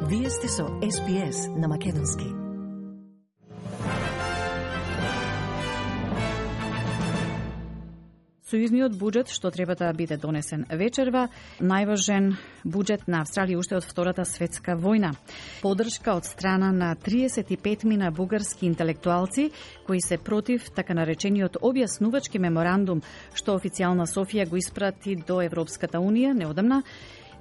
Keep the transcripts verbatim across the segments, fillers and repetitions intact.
Вие сте со Ес Би Ес на македонски. Сојузниот буџет што треба да биде донесен вечерва, најважен буџет на Австралија уште од Втората светска војна. Подршка од страна на триесет и пет мина бугарски интелектуалци кои се против така наречениот објаснувачки меморандум што официјална Софија го испрати до Европската унија неодамна,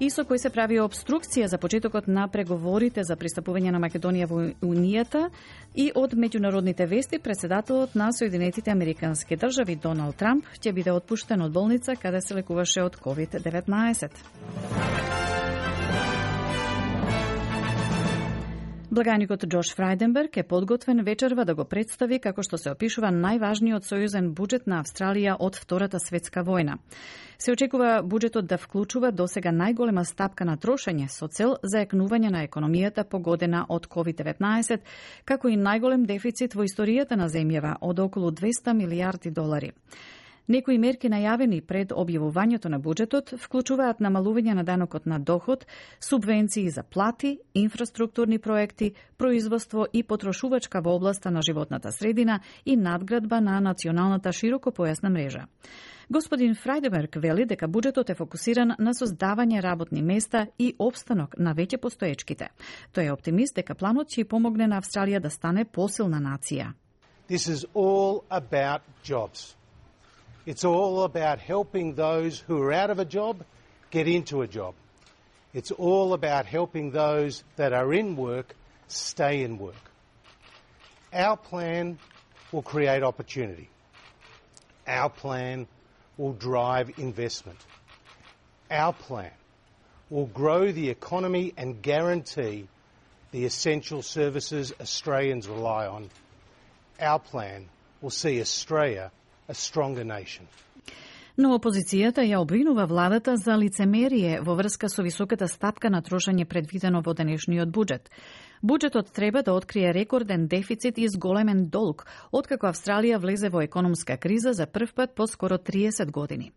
и со кој се прави обструкција за почетокот на преговорите за пристапување на Македонија во Унијата. И од меѓународните вести, председателот на Соединетите Американски држави Доналд Трамп ќе биде отпуштен од болница каде се лекуваше од ковид деветнаесет. Благаникот Джош Фрајденберг е подготвен вечерва да го представи како што се опишува најважниот сојузен буџет на Австралија од Втората светска војна. Се очекува буџетот да вклучува досега најголема стапка на трошење со цел зајакнување на економијата погодена од ковид деветнаесет, како и најголем дефицит во историјата на земјава од околу двесте милијарди долари. Некои мерки најавени пред објавувањето на буџетот вклучуваат намалување на данокот на доход, субвенции за плати, инфраструктурни проекти, производство и потрошувачка во областа на животната средина и надградба на националната широкопојасна мрежа. Господин Фрајденберг вели дека буџетот е фокусиран на создавање работни места и опстанок на веќе постоечките. Тој е оптимист дека планот ќе помогне на Австралија да стане посилна нација. This is all about jobs. It's all about helping those who are out of a job get into a job. It's all about helping those that are in work stay in work. Our plan will create opportunity. Our plan will drive investment. Our plan will grow the economy and guarantee the essential services Australians rely on. Our plan will see Australia a stronger nation. Но опозицијата ја обвинува владата за лицемерие во врска со високата стапка на трошење предвидено во денешниот буџет. Буџетот треба да открие рекорден дефицит и зголемен долг, откако Австралија влезе во економска криза за прв пат по скоро триесет години.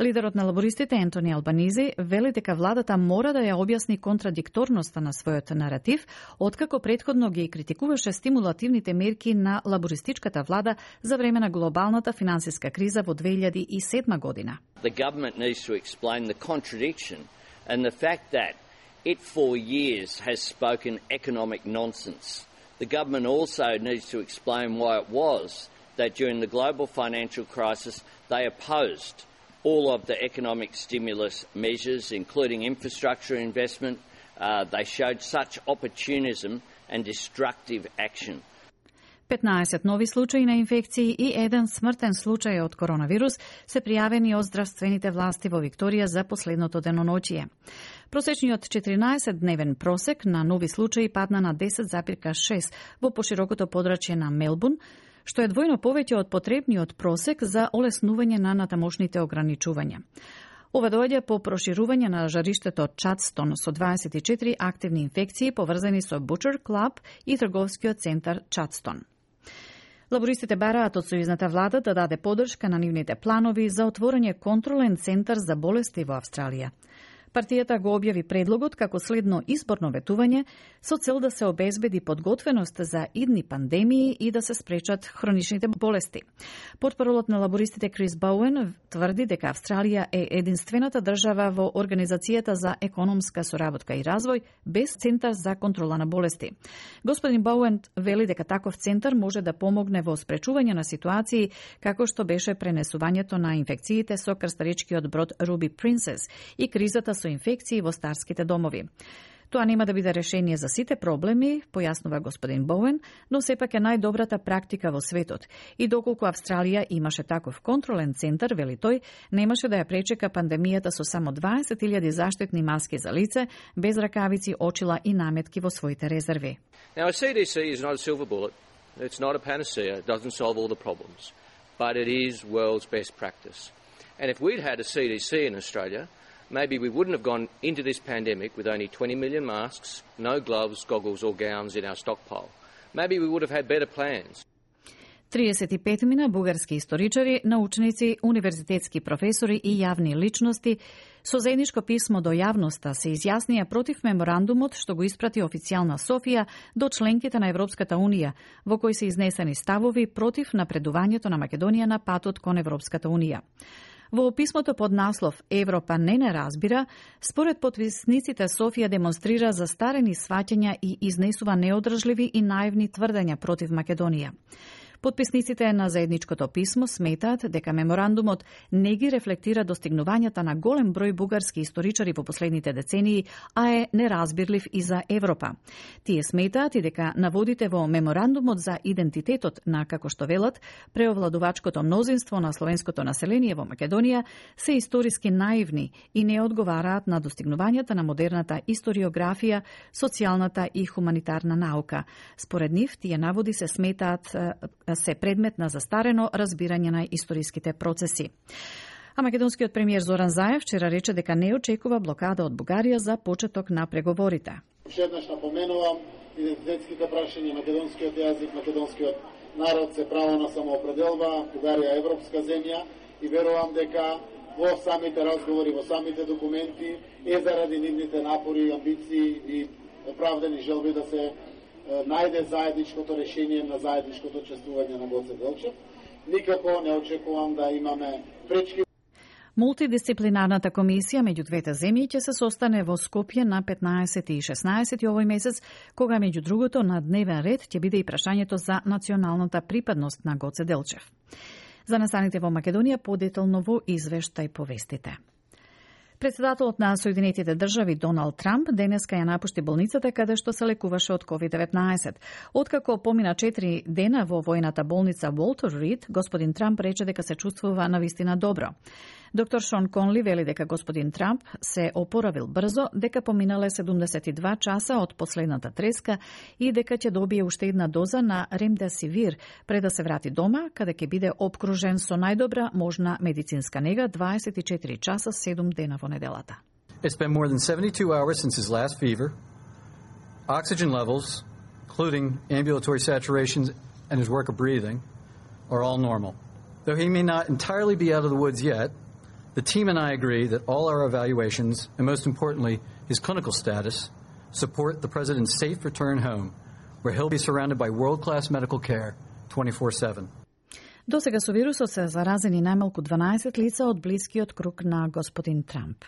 Лидерот на лабористите Ентони Албанизи вели дека владата мора да ја објасни контрадикторноста на својот наратив, откако претходно ги критикуваше стимулативните мерки на лабористичката влада за време на глобалната финансиска криза во две илјади и седма година. The government needs to explain the contradiction and the fact that it for years has spoken economic nonsense. The government also needs to explain why it was that during the global financial crisis they opposed all of the economic stimulus measures, including infrastructure investment. Uh, they showed such opportunism and destructive action. петнаесет нови случаи на инфекции и еден смртен случај од коронавирус се пријавени од здравствените власти во Викторија за последното деноноќие. Просечниот четиринаесет-дневен просек на нови случаи падна на десет запирка шест во поширокото подрачје на Мелбурн, што е двојно повеќе од потребниот просек за олеснување на натамошните ограничувања. Ова доаѓа по проширување на жариштето Чадстон со дваесет и четири активни инфекции поврзани со Butcher Club и трговскиот центар Чадстон. Лабористите бараат од сојузната влада да даде поддршка на нивните планови за отворање контролен центар за болести во Австралија. Партијата го објави предлогот како следно изборно ветување со цел да се обезбеди подготвеност за идни пандемии и да се спречат хроничните болести. Портпаролот на лабористите Крис Боуен тврди дека Австралија е единствената држава во Организацијата за економска соработка и развој без центар за контрола на болести. Господин Боуен вели дека таков центар може да помогне во спречување на ситуации како што беше пренесувањето на инфекциите со крстаричкиот брод Руби Принцес и кризата со инфекции во старските домови. Тоа нема да биде решение за сите проблеми, појаснува господин Боуен, но сепак е најдобрата практика во светот. И доколку Австралија имаше таков контролен центар, вели тој, немаше да ја пречека пандемијата со само дваесет илјади заштитни маски за лице, без ракавици, очила и наметки во своите резерви. Now, a C D C is not a silver bullet. It's not a panacea. It doesn't solve all the problems. But it is world's best practice. And if we'd had a C D C in Australia, maybe we wouldn't have gone into this pandemic with only twenty million masks, no gloves, goggles or gowns in our stockpile. Maybe we would have had better plans. триесет и пет мина бугарски историчари, научници, универзитетски професори и јавни личности со заедничко писмо до јавноста се изјаснија против меморандумот што го испрати официјална Софија до членките на Европската Унија, во кој се изнесени ставови против напредувањето на Македонија на патот кон Европската Унија. Во писмото под наслов «Европа не не разбира», според потписниците Софија демонстрира застарени сваќања и изнесува неодржливи и наивни тврдења против Македонија. Потписниците на заедничкото писмо сметаат дека меморандумот не ги рефлектира достигнувањата на голем број бугарски историчари во последните децении, а е неразбирлив и за Европа. Тие сметаат и дека наводите во меморандумот за идентитетот на, како што велат, преовладувачкото мнозинство на словенското население во Македонија се историски наивни и не одговараат на достигнувањата на модерната историографија, социјалната и хуманитарна наука. Според нив, тие наводи се сметаат се предмет на застарено разбирање на историските процеси. А македонскиот премиер Зоран Заев вчера рече дека не очекува блокада од Бугарија за почеток на преговорите. Шеднаш напоменувам идентитетските прашања, македонскиот јазик, македонскиот народ се право на самоопределба, Бугарија е европска земја и верувам дека во самите разговори, во самите документи е заради нивните напори, амбиции и оправдани желби да се најде заедничкото решение на заедничкото чествување на Гоце Делчев. Никако не очекувам да имаме пречки. Мултидисциплинарната комисија меѓу двете земји ќе се состане во Скопје на петнаесети и шеснаесети овој месец, кога меѓу другото на дневен ред ќе биде и прашањето за националната припадност на Гоце Делчев. За настаните во Македонија подетално во извештај повестите. Председателот на Соединетите држави Доналд Трамп денеска ја напушти болницата каде што се лекуваше од ковид деветнаесет. Откако помина четири дена во војната болница Волтер Рид, господин Трамп рече дека се чувствува навистина добро. Доктор Шон Конли вели дека господин Трамп се опоравил брзо, дека поминале седумдесет и два часа од последната треска и дека ќе добие уште една доза на ремдесивир пред да се врати дома, каде ќе биде обкружен со најдобра можна медицинска нега дваесет и четири часа седум дена во неделата. It's been more than seventy-two hours since his last fever. Oxygen levels, including ambulatory saturations and his work of breathing, are all normal. Though he may not entirely be out of the woods yet, the team and I agree that all our evaluations, and most importantly, his clinical status, support the President's safe return home, where he'll be surrounded by world-class medical care twenty-four seven. До сега со вирусот се заразени најмалку дванаесет лица од блискиот круг на господин Трамп.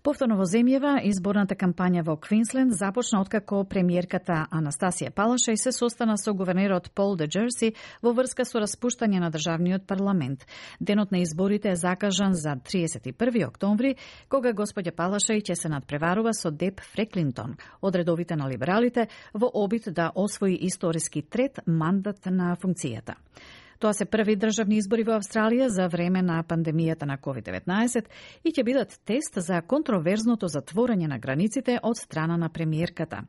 Повторно во земјава, изборната кампања во Квинсленд започна откако премиерката Анастасија Палашај се состана со гувернерот Пол де Джерси во врска со распуштање на државниот парламент. Денот на изборите е закажан за триесет и први октомври, кога господја Палашај ќе се надпреварува со Деп Фреклинтон од редовите на либералите во обид да освои историски трет мандат на функцијата. Тоа се први државни избори во Австралија за време на пандемијата на ковид деветнаесет и ќе бидат тест за контроверзното затворање на границите од страна на премиерката.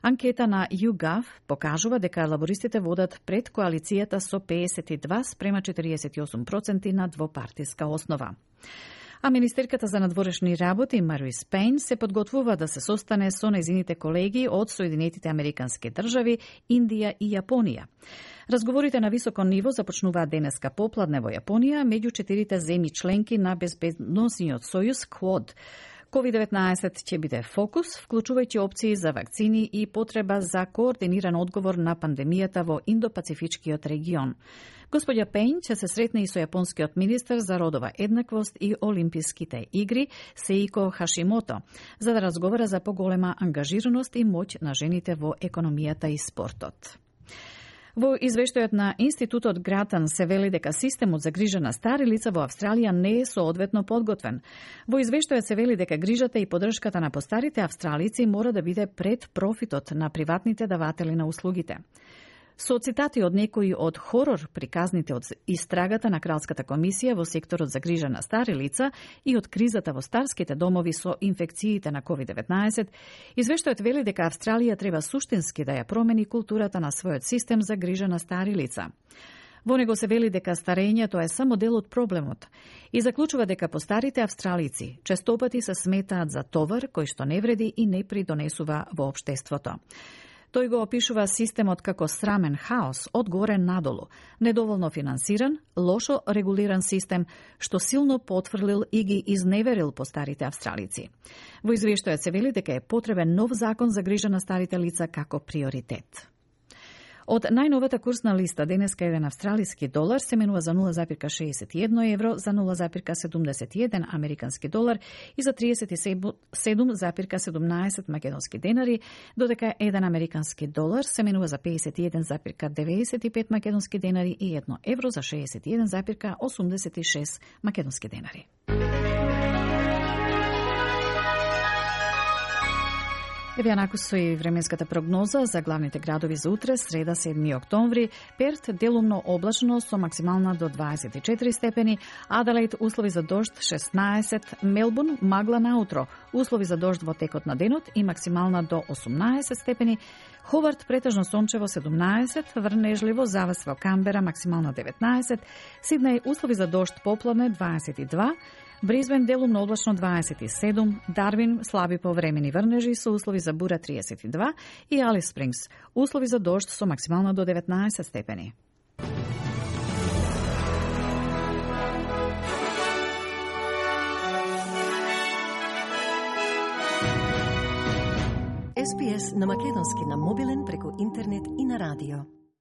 Анкета на YouGov покажува дека лабористите водат пред коалицијата со пеесет и два спрема четириесет и осум проценти на двопартиска основа. А министерката за надворешни работи Марис Пейн се подготвува да се состане со нејзините колеги од Соединетите Американски држави, Индија и Јапонија. Разговорите на високо ниво започнуваат денеска попладне во Јапонија меѓу четирите земји членки на безбедносниот сојуз Квод. ковид деветнаесет ќе биде фокус, вклучувајќи опции за вакцини и потреба за координиран одговор на пандемијата во Индо-Пацифичкиот регион. Господја Пейн ќе се сретне и со јапонскиот министер за родова еднаквост и Олимписките игри Сеико Хашимото, за да разговара за поголема ангажираност и моќ на жените во економијата и спортот. Во извештајот на Институтот Гратан се вели дека системот за грижа на стари лица во Австралија не е соодветно подготвен. Во извештајот се вели дека грижата и поддршката на постарите австралици мора да биде пред профитот на приватните даватели на услугите. Со цитати од некои од хорор приказните од истрагата на Кралската комисија во секторот за грижа на стари лица и од кризата во старските домови со инфекциите на ковид деветнаесет, извештајот вели дека Австралија треба суштински да ја промени културата на својот систем за грижа на стари лица. Во него се вели дека старењето е само дел од проблемот и заклучува дека постарите австралици честопати се сметаат за товар кој што не вреди и не придонесува во општеството. Тој го опишува системот како срамен хаос од горе надолу, недоволно финансиран, лошо регулиран систем, што силно потврлил и ги изневерил по старите австралици. Во извештајот се вели дека е потребен нов закон за грижа на старите лица како приоритет. Од најновата курсна листа денеска еден австралиски долар се менува за нула запирка шеесет и едно евро, за нула запирка седумдесет и еден американски долар и за триесет и седум запирка седумнаесет македонски денари, додека еден американски долар се менува за пеесет и еден запирка деветдесет и пет македонски денари и едно евро за шеесет и еден запирка осумдесет и шест македонски денари. Еве анаку со и временската прогноза за главните градови за утре, среда седми октомври. Перт делумно облачно со максимална до дваесет и четири степени, Аделаид услови за дожд шеснаесет, Мелбурн магла наутро, услови за дожд во текот на денот и максимална до осумнаесет степени, Ховард претежно сончево седумнаесет, врнежливо завес во Камбера максимална деветнаесет, Сиднеј услови за дожд попладне дваесет и два, Бризбен делумно облачно дваесет и седум, Дарвин слаби повремени врнежи со услови за бура триесет и два и Алис Спрингс услови за дожд со максимално до деветнаесет степени. Ес Би Ес на македонски на мобилен преку интернет и на радио.